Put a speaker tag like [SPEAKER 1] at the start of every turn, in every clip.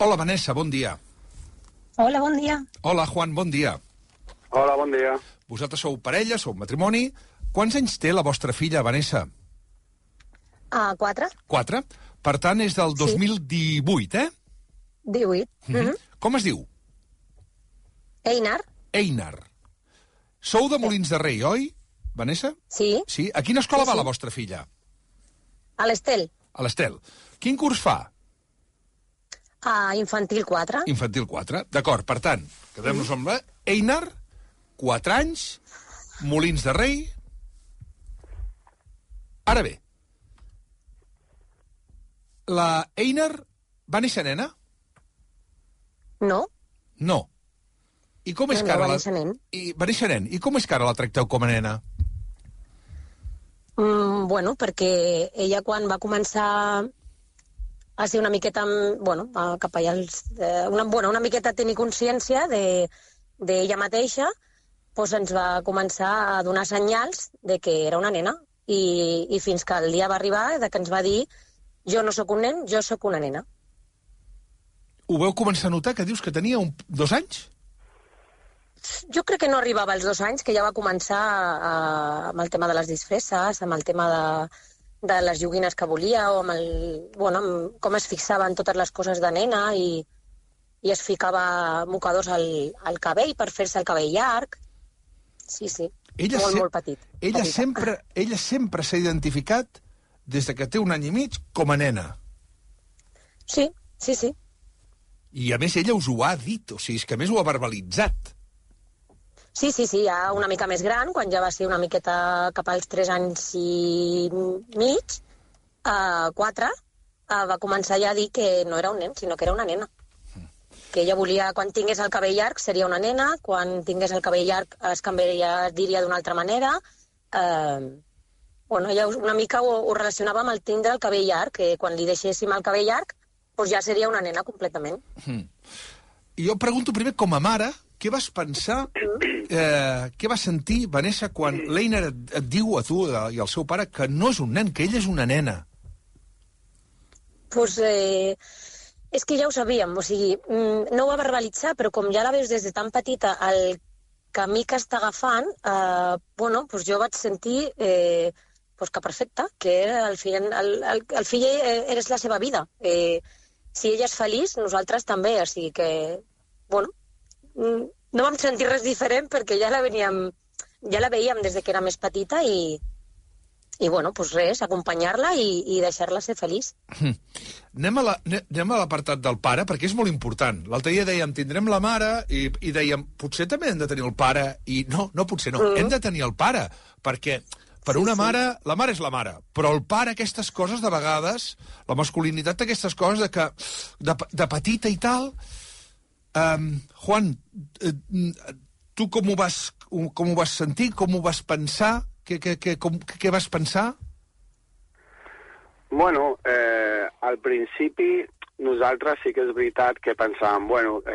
[SPEAKER 1] Hola, Vanessa, bon dia.
[SPEAKER 2] Hola, bon dia.
[SPEAKER 1] Hola, Juan, bon dia.
[SPEAKER 3] Hola, bon dia.
[SPEAKER 1] Vosaltres sou parella, sou matrimoni. Quants anys té la vostra filla, Vanessa?
[SPEAKER 2] 4.
[SPEAKER 1] 4. Per tant, és del 2018, eh?
[SPEAKER 2] 18.
[SPEAKER 1] Com es diu?
[SPEAKER 2] Einar?
[SPEAKER 1] Einar. Sou de Molins de Rei, oi, Vanessa?
[SPEAKER 2] Sí.
[SPEAKER 1] Sí? A quina escola
[SPEAKER 2] Sí,
[SPEAKER 1] va
[SPEAKER 2] sí.
[SPEAKER 1] la vostra filla?
[SPEAKER 2] A l'Estel?
[SPEAKER 1] A l'Estel. Quin curs fa?
[SPEAKER 2] A Infantil 4.
[SPEAKER 1] Infantil 4. D'acord, per tant, quedem-nos amb la Einar, 4 anys, Molins de Rei. Ara bé, la Einar va néixer nena?
[SPEAKER 2] No?
[SPEAKER 1] No. I com és
[SPEAKER 2] No,
[SPEAKER 1] que ara
[SPEAKER 2] va néixer nen.
[SPEAKER 1] Va néixer nen. I com és que ara la tracteu com a nena?
[SPEAKER 2] Bueno, perquè ella quan va començar a ser una miqueta, cap allà, una miqueta a tenir consciència d'ella mateixa, doncs ens va començar a donar senyals de que era una nena. I fins que el dia va arribar de que ens va dir jo no sóc un nen, jo sóc una nena.
[SPEAKER 1] Ho veu començar a notar, que dius que tenia 2 anys?
[SPEAKER 2] Jo crec que no arribava als 2 anys, que ja va començar amb el tema de les disfresses, amb el tema de les joguines que volia, o amb com es fixava en totes les coses de nena i es ficava mocadors al cabell per fer-se el cabell llarg. Sí. Molt petit.
[SPEAKER 1] Ella sempre s'ha identificat, des de que té 1 any i mig, com a nena.
[SPEAKER 2] Sí.
[SPEAKER 1] I, a més, ella us ho ha dit, o sigui, és que a més ho ha verbalitzat.
[SPEAKER 2] Sí, ja una mica més gran, quan ja va ser una miqueta cap als 3 anys i mig, 4, va començar ja a dir que no era un nen, sinó que era una nena. Que ella volia, quan tingués el cabell llarg, seria una nena, quan tingués el cabell llarg es diria d'una altra manera. Ella una mica ho relacionava amb el tindre el cabell llarg, que quan li deixéssim el cabell llarg, doncs ja seria una nena completament.
[SPEAKER 1] I jo pregunto primer, com a mare, què vas pensar, què vas sentir, Vanessa, quan l'Einar et diu a tu i al seu pare que no és un nen, que ella és una nena?
[SPEAKER 2] Doncs és que ja ho sabíem, o sigui, no ho va verbalitzar, però com ja la veus des de tan petita, el camí que està agafant, doncs jo vaig sentir que perfecte, que el fill és la seva vida. Si ella és feliç, nosaltres també, o sigui que, no vam sentir res diferent perquè ja la veiem des que era més petita i res, acompanyar-la i deixar-la ser feliç.
[SPEAKER 1] Anem a l'apartat del pare, perquè és molt important. L'altre dia dèiem, tindrem la mare, i dèiem, potser també hem de tenir el pare, i no, potser no, hem de tenir el pare, perquè per una mare, la mare és la mare, però el pare, aquestes coses, de vegades, la masculinitat d'aquestes coses, de petita i tal... Juan, tu com ho vas sentir, com ho vas pensar? Què vas pensar?
[SPEAKER 3] Bueno, al principi nosaltres sí que és veritat que pensàvem,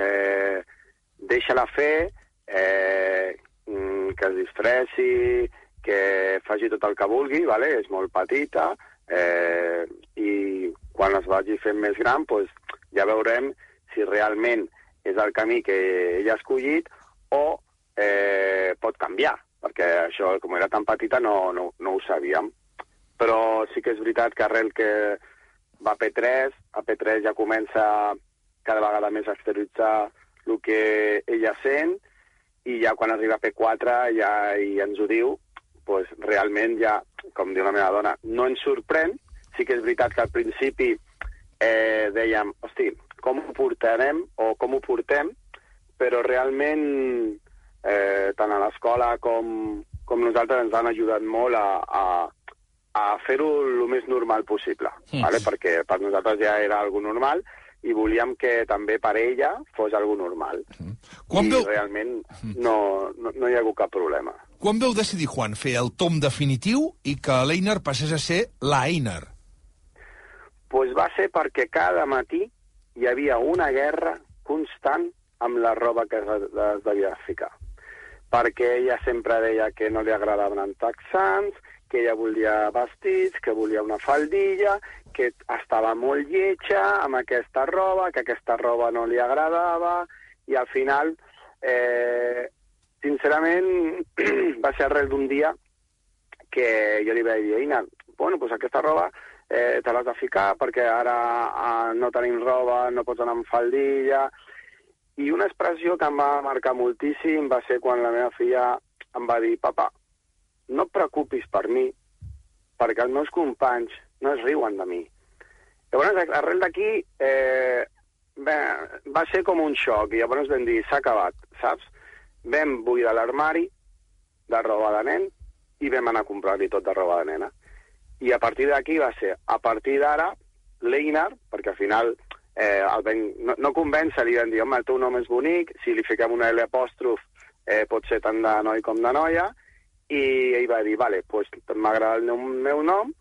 [SPEAKER 3] deixa-la fer, que es disfressi, que faci tot el que vulgui, vale? És molt petita, i quan es vagi fent més gran, doncs ja veurem si realment és el camí que ella ha escollit o pot canviar, perquè això, com era tan petita, no ho sabíem. Però sí que és veritat que arrel que va a P3 ja comença cada vegada més a exterioritzar el que ella sent, i ja quan arriba a P4 ja ens ho diu, doncs realment ja, com diu la meva dona, no ens sorprèn. Sí que és veritat que al principi dèiem, hosti, com ho portarem o com ho portem, però realment tant a l'escola com nosaltres ens han ajudat molt a fer-ho el més normal possible, vale? Perquè per nosaltres ja era algo normal i volíem que també per ella fos algo normal. Realment no hi ha hagut cap problema.
[SPEAKER 1] Quan veu decidir, Juan, fer el tom definitiu i que l'Einar passés a ser la Einar?
[SPEAKER 3] Doncs va ser perquè cada matí hi havia una guerra constant amb la roba que es devia ficar. Perquè ella sempre deia que no li agradaven els texans, que ella volia vestits, que volia una faldilla, que estava molt lletja amb aquesta roba, que aquesta roba no li agradava, i al final, sincerament, va ser arrel d'un dia que jo li vaig dir, Einar, bueno, doncs aquesta roba te l'has de ficar perquè ara no tenim roba, no pots anar amb faldilla. I una expressió que em va marcar moltíssim va ser quan la meva filla em va dir, papa, no et preocupis per mi, perquè els meus companys no es riuen de mi. Llavors, arrel d'aquí va ser com un xoc, i llavors vam dir, s'ha acabat, saps? Vam buidar l'armari de roba de nen i vam anar a comprar-li tot de roba de nena. I a partir d'aquí va ser, a partir d'ara, l'Einar, perquè al final no convèncer, li vam dir, home, el teu nom és bonic, si li fiquem una L apòstrof pot ser tant de noi com de noia, i ell va dir, vale, doncs m'agrada el meu nom,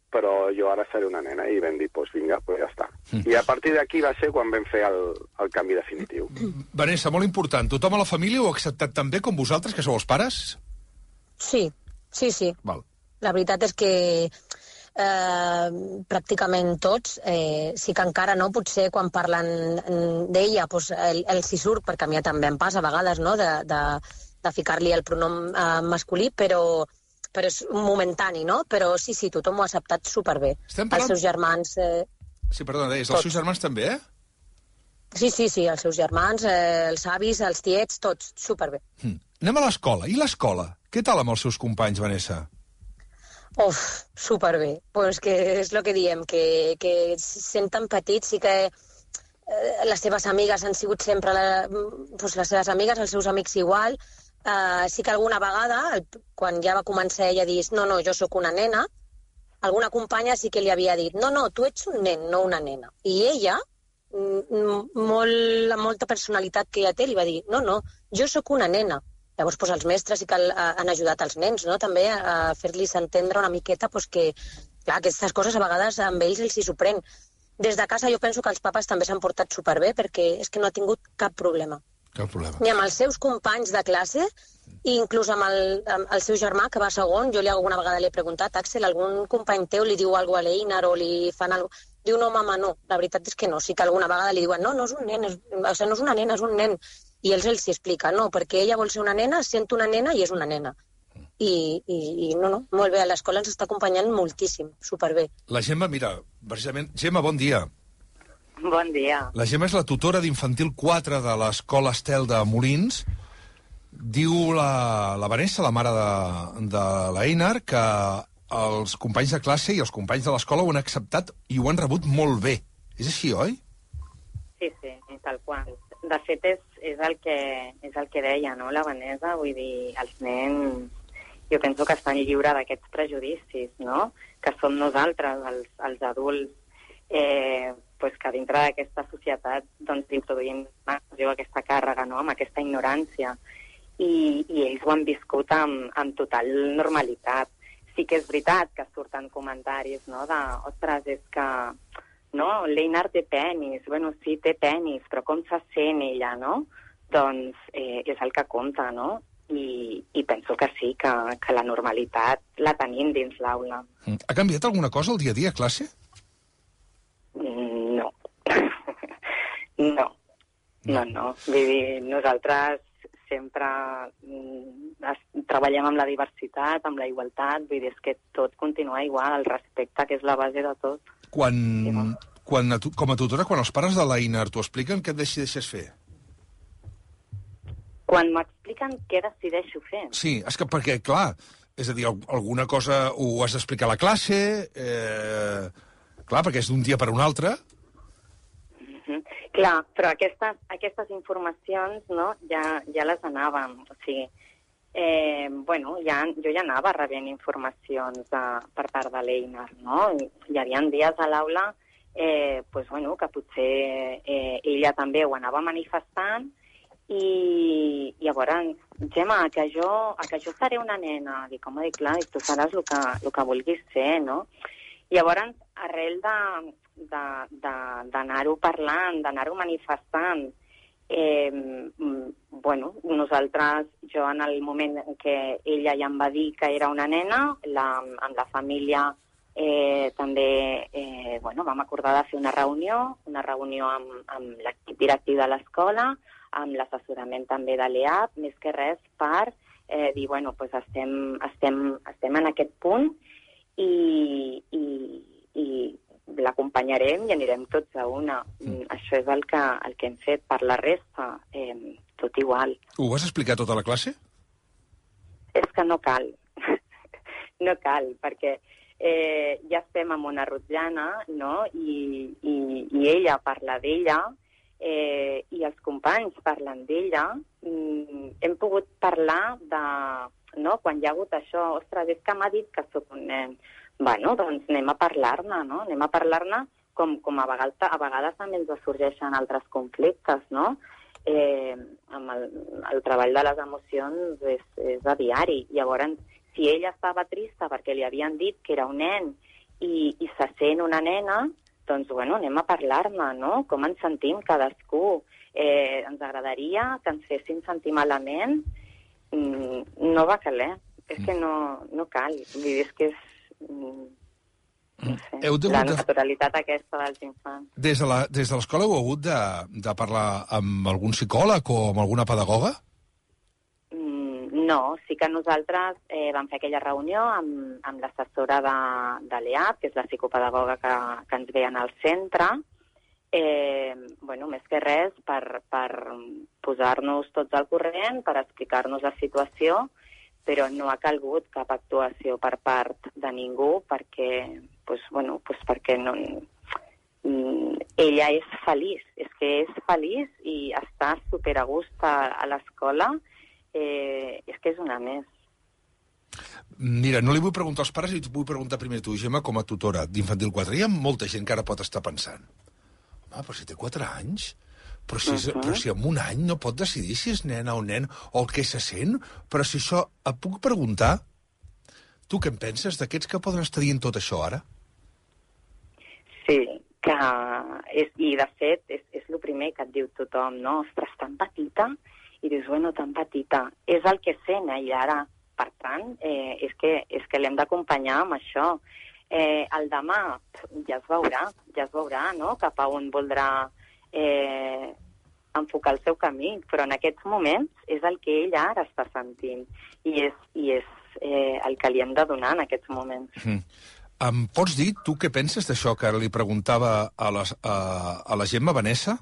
[SPEAKER 3] però jo ara seré una nena, i vam dir, doncs vinga, doncs ja està. I a partir d'aquí va ser quan vam fer el canvi definitiu.
[SPEAKER 1] Vanessa, molt important, tothom a la família ho ha acceptat tan bé com vosaltres, que sou els pares?
[SPEAKER 2] Sí.
[SPEAKER 1] Val.
[SPEAKER 2] La veritat és que pràcticament tots, sí que encara no, potser quan parlen d'ella doncs els hi surt, perquè a mi també em passa a vegades, no?, de ficar-li el pronom masculí, però és momentani, no? Però sí, tothom ho ha acceptat superbé. Els seus germans...
[SPEAKER 1] Sí, perdona, deies, els seus germans també, eh?
[SPEAKER 2] Sí, els seus germans, els avis, els tiets, tots, superbé.
[SPEAKER 1] Anem a l'escola. I l'escola? Què tal amb els seus companys, Vanessa?
[SPEAKER 2] Superbé. Pues que és el que diem, que senten petits, sí que les seves amigues han sigut sempre les seves amigues, els seus amics igual. Sí que alguna vegada, quan ja va començar ella a dir no, jo sóc una nena, alguna companya sí que li havia dit no, tu ets un nen, no una nena. I ella, amb molta personalitat que ella té, li va dir no, jo sóc una nena. Llavors, els mestres sí que han ajudat els nens, no?, també a fer-los entendre una miqueta que, clar, aquestes coses a vegades amb ells els hi sorprèn. Des de casa jo penso que els papes també s'han portat superbé, perquè és que no ha tingut cap problema.
[SPEAKER 1] Cap problema.
[SPEAKER 2] Ni amb els seus companys de classe, i inclús amb el seu germà, que va segon, jo alguna vegada li he preguntat, Axel, algun company teu li diu alguna cosa a l'Einar o li fan alguna cosa? Diu, no, mama, no. La veritat és que no. Sí que alguna vegada li diuen, no és un nen, no és una nena, és un nen. I ells els hi explica, no, perquè ella vol ser una nena, sent una nena i és una nena. I no, molt bé, a l'escola ens està acompanyant moltíssim, superbé.
[SPEAKER 1] La Gemma, mira, precisament... Gemma, bon dia.
[SPEAKER 4] Bon dia.
[SPEAKER 1] La Gemma és la tutora d'infantil 4 de l'escola Estel de Molins. Diu la Vanessa, la mare de l'Einar, que els companys de classe i els companys de l'escola ho han acceptat i ho han rebut molt bé. És així, oi?
[SPEAKER 4] Sí, tal qual. De fet, és el que deia, no?, la Vanessa, vull dir, els nens, jo penso que estan lliures d'aquests prejudicis, no?, que som nosaltres, els adults, que dintre d'aquesta societat doncs introduïm aquesta càrrega, no?, amb aquesta ignorància, i ells ho han viscut amb total normalitat. Sí que és veritat que surten comentaris, no?, de, ostres, és que... no, l'Einar té penis, bueno, sí, té penis, però com se sent ella, no? Doncs és el que compta, no? I penso que sí, que la normalitat la tenim dins l'aula.
[SPEAKER 1] Ha canviat alguna cosa el dia a dia a classe?
[SPEAKER 4] No. No. Vull dir, nosaltres sempre treballem amb la diversitat, amb la igualtat, vull dir, és que tot continua igual, el respecte, que és la base de tot.
[SPEAKER 1] Com a tutora, quan els pares de l'Einar t'ho expliquen, què et decideixes fer?
[SPEAKER 4] Quan m'expliquen què decideixo fer?
[SPEAKER 1] Sí, és que perquè, clar, és a dir, alguna cosa ho has d'explicar a la classe, clar, perquè és d'un dia per un altre.
[SPEAKER 4] Clar, però aquestes informacions, no?, ja les anàvem, o sigui, jo ja anava rebent informacions per part de l'Einar, no? Hi havia dies a l'aula que potser ella també ho anava manifestant i llavors, Gemma, que jo seré una nena. Dic, home, clar, tu seràs el que vulguis ser, no? Llavors, arrel d'anar-ho parlant, d'anar-ho manifestant, nosaltres, jo en el moment en què ella ja em va dir que era una nena, amb la família També vam acordar de fer una reunió amb l'equip directiu de l'escola, amb l'assessorament també de l'EAP, més que res per dir, estem en aquest punt i l'acompanyarem i anirem tots a una. Això és el que hem fet. Per la resta, tot igual.
[SPEAKER 1] Ho vas explicar tota la classe?
[SPEAKER 4] És que no cal. No cal, perquè ja estem amb una rotllana, no? I ella parla d'ella, i els companys parlen d'ella. Hem pogut parlar de... No? Quan hi ha hagut això, ostres, és que m'ha dit que sóc un nen. Doncs anem a parlar-ne, no? Anem a parlar-ne com a vegades també ens sorgeixen altres conflictes, no? Amb el treball de les emocions és a diari. Llavors, si ella estava trista perquè li havien dit que era un nen i se sent una nena, doncs, anem a parlar-ne, no? Com ens sentim cadascú. Ens agradaria que ens fessin sentir malament. No va caler. És que no cal. Vull dir, és que és... No sé, la naturalitat aquesta dels infants.
[SPEAKER 1] Des de l'escola heu hagut de parlar amb algun psicòleg o amb alguna pedagoga?
[SPEAKER 4] No, sí que nosaltres vam fer aquella reunió amb l'assessora de l'EAP, que és la psicopedagoga que ens veien al centre, més que res per posar-nos tots al corrent, per explicar-nos la situació, però no ha calgut cap actuació per part de ningú perquè no... Ella és feliç, és que és feliç i està superagust a l'escola. És que és una més.
[SPEAKER 1] Mira, no li vull preguntar als pares, i t'ho vull preguntar primer tu, Gemma, com a tutora d'Infantil 4. Hi ha molta gent que ara pot estar pensant, home, però si té 4 anys, però si en un any no pot decidir si és nena o nen o el que se sent, però si això... Et puc preguntar, tu què en penses d'aquests que poden estar dient tot això ara?
[SPEAKER 4] Sí, i de fet és el primer que et diu tothom, no? Ostres, tan petita, i dius, tan petita. És el que sent ella ara. Per tant, és que l'hem d'acompanyar amb això. El demà ja es veurà, no?, cap a on voldrà enfocar el seu camí, però en aquests moments és el que ella ara està sentint i és el que li hem de donar en aquests moments.
[SPEAKER 1] Em pots dir, tu, què penses d'això que li preguntava a la Gemma, Vanessa?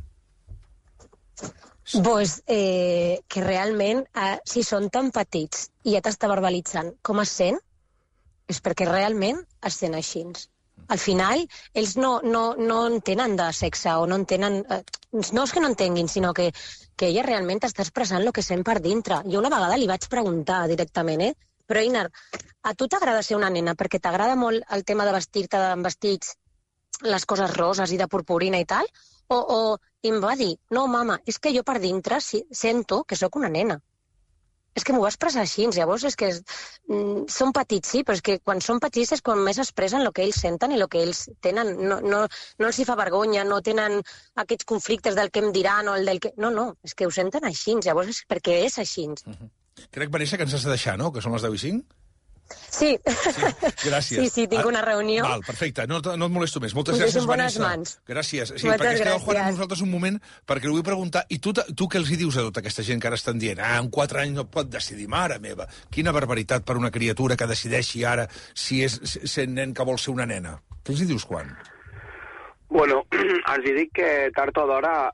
[SPEAKER 2] Que realment, si són tan petits i ja t'està verbalitzant com es sent, és perquè realment es sent així. Al final, ells no entenen de sexe o no entenen... No és que no entenguin, sinó que ella realment està expressant el que sent per dintre. Jo una vegada li vaig preguntar directament, però Einar, a tu t'agrada ser una nena perquè t'agrada molt el tema de vestir-te amb vestits, les coses roses i de purpurina i tal? I em va dir, no, mama, és que jo per dintre sento que sóc una nena. És que m'ho va expressar així, llavors és que són petits, sí, però és que quan són petits és quan més expressen el que ells senten i el que ells tenen. No els hi fa vergonya, no tenen aquests conflictes del que em diran o el del que... No, és que ho senten així, llavors és perquè és així.
[SPEAKER 1] Crec, Vanessa, que ens has de deixar, no?, que són les 10:05.
[SPEAKER 2] Sí.
[SPEAKER 1] Gràcies.
[SPEAKER 2] Sí, tinc una reunió.
[SPEAKER 1] Val, perfecte, no et molesto més. Moltes gràcies, Vanessa. Gràcies. Sí, perquè es quedeu fora amb nosaltres un moment, perquè li vull preguntar, i tu què els hi dius a tota aquesta gent que ara estan dient, en 4 anys no pot decidir, mare meva, quina barbaritat per una criatura que decideixi ara si és sent nen que vol ser una nena. Què els hi dius, Juan?
[SPEAKER 3] Els dic que tard o d'hora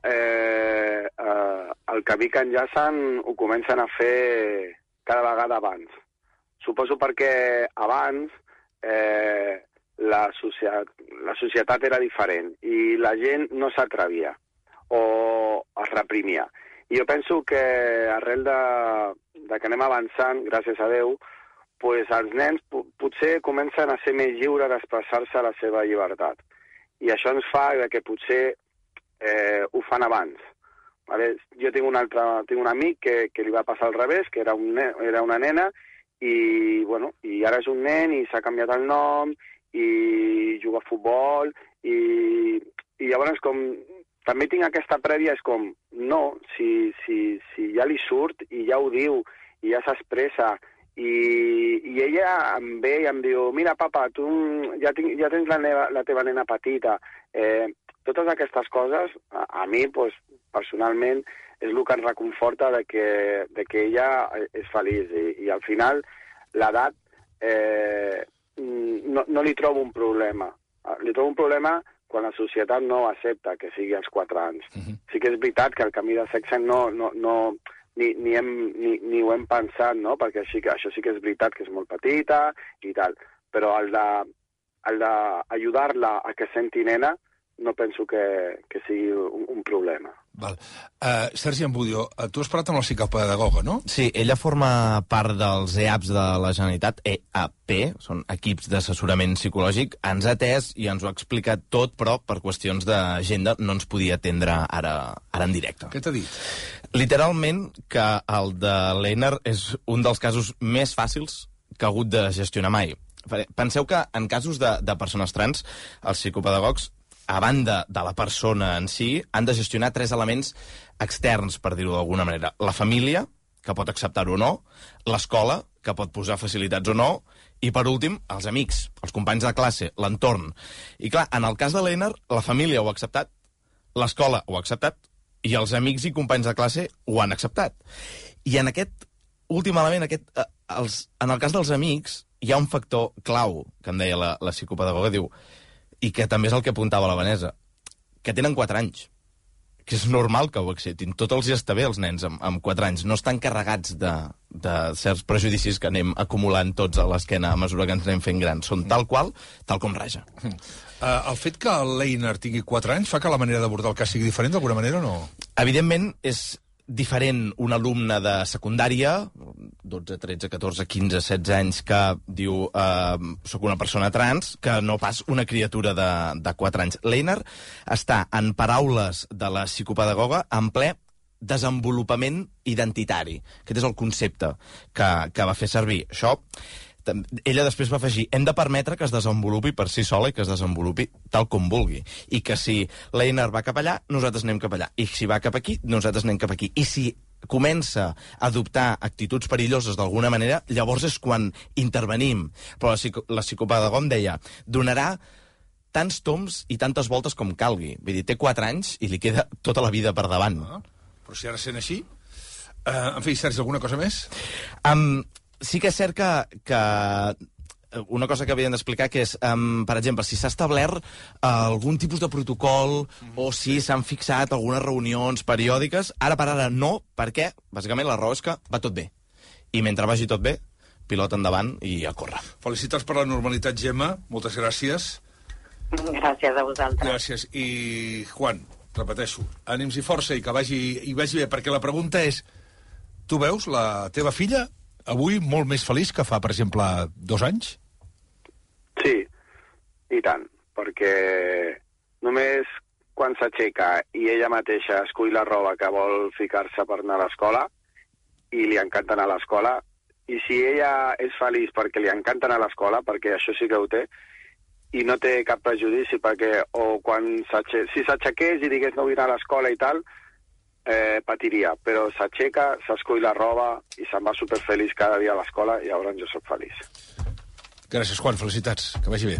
[SPEAKER 3] el camí que enllacen ho comencen a fer cada vegada abans. Suposo perquè abans la societat era diferent i la gent no s'atrevia o es reprimia. I jo penso que arrel de que anem avançant, gràcies a Déu, pues els nens potser comencen a ser més lliures d'expressar-se a la seva llibertat. I això ens fa que potser ho fan abans. Vale? Jo tinc un amic que li va passar al revés, que era una nena, i ara és un nen i s'ha canviat el nom i juga a futbol i llavors com també tinc aquesta prèvia, és com no, si ja li surt i ja ho diu i ja s'expressa I ella em ve i em diu, mira, papa, tu ja tens la teva nena petita. Totes aquestes coses, a mi, pues, personalment, és el que em reconforta de que ella és feliç. I al final, l'edat no li trobo un problema. Li trobo un problema quan la societat no accepta que sigui als 4 anys. Sí que és veritat que el canvi de sexe ni ho hem pensat, no? Perquè això sí que és veritat que és molt petita i tal, però el d'ajudar-la a que senti nena no penso que sigui un problema.
[SPEAKER 1] Val. Sergi Ambudio, tu has parlat amb la psicopedagoga, no?
[SPEAKER 5] Sí, ella forma part dels EAPs de la Generalitat, EAP, són equips d'assessorament psicològic. Ens ha atès i ens ho ha explicat tot, però per qüestions d'agenda no ens podia atendre ara en directe.
[SPEAKER 1] Què t'ha dit?
[SPEAKER 5] Literalment que el de l'Einar és un dels casos més fàcils que ha hagut de gestionar mai. Penseu que en casos de persones trans, els psicopedagogs, a banda de la persona en si, han de gestionar 3 elements externs, per dir-ho d'alguna manera. La família, que pot acceptar-ho o no, l'escola, que pot posar facilitats o no, i, per últim, els amics, els companys de classe, l'entorn. I, clar, en el cas de l'Einar, la família ho ha acceptat, l'escola ho ha acceptat, i els amics i companys de classe ho han acceptat. I en aquest últim element, en el cas dels amics, hi ha un factor clau, que em deia la psicopedagoga, diu, i que també és el que apuntava la Vanessa, que tenen 4 anys, que és normal que ho acceptin. Tot els hi està bé, els nens, amb 4 anys. No estan carregats de certs prejudicis que anem acumulant tots a l'esquena a mesura que ens anem fent grans. Són tal com raja.
[SPEAKER 1] El fet que l'Einar tingui 4 anys fa que la manera d'abordar el cas sigui diferent d'alguna manera o no?
[SPEAKER 5] Evidentment, és diferent un alumne de secundària, 12, 13, 14, 15, 16 anys, que diu soc una persona trans, que no pas una criatura de 4 anys. L'Einar està, en paraules de la psicopedagoga, en ple desenvolupament identitari. Aquest és el concepte que va fer servir. Això, ella després va afegir, hem de permetre que es desenvolupi per si sola i que es desenvolupi tal com vulgui. I que si l'Einar va cap allà, nosaltres anem cap allà. I si va cap aquí, nosaltres anem cap aquí. I si comença a adoptar actituds perilloses d'alguna manera, llavors és quan intervenim. Però la psicopedagoga em deia, donarà tants toms i tantes voltes com calgui. Vull dir, té 4 anys i li queda tota la vida per davant.
[SPEAKER 1] Però si ara sent així... en fi, Sergi, alguna cosa més?
[SPEAKER 5] Sí que és cert que una cosa que havien d'explicar que és, per exemple, si s'ha establert algun tipus de protocol o si s'han fixat algunes reunions periòdiques, ara per ara no, perquè, bàsicament, la raó és que va tot bé. I mentre vagi tot bé, pilot endavant i a córrer.
[SPEAKER 1] Felicitats per la normalitat, Gemma. Moltes gràcies.
[SPEAKER 4] Gràcies a vosaltres.
[SPEAKER 1] Gràcies. I, Juan, repeteixo, ànims i força i que vagi bé, perquè la pregunta és, tu veus la teva filla avui molt més feliç que fa, per exemple, 2 anys?
[SPEAKER 3] Sí, i tant, perquè només quan s'aixeca i ella mateixa escull la roba que vol ficar-se per anar a l'escola i li encanta anar a l'escola, i si ella és feliç perquè li encanta anar a l'escola, perquè això sí que ho té, i no té cap prejudici, perquè si s'aixequés i digués no vull anar a l'escola i tal, patiria, però s'aixeca, s'escull la roba i se'n va superfeliç cada dia a l'escola i llavors jo soc feliç.
[SPEAKER 1] Gràcies, Juan, felicitats, que vagi bé.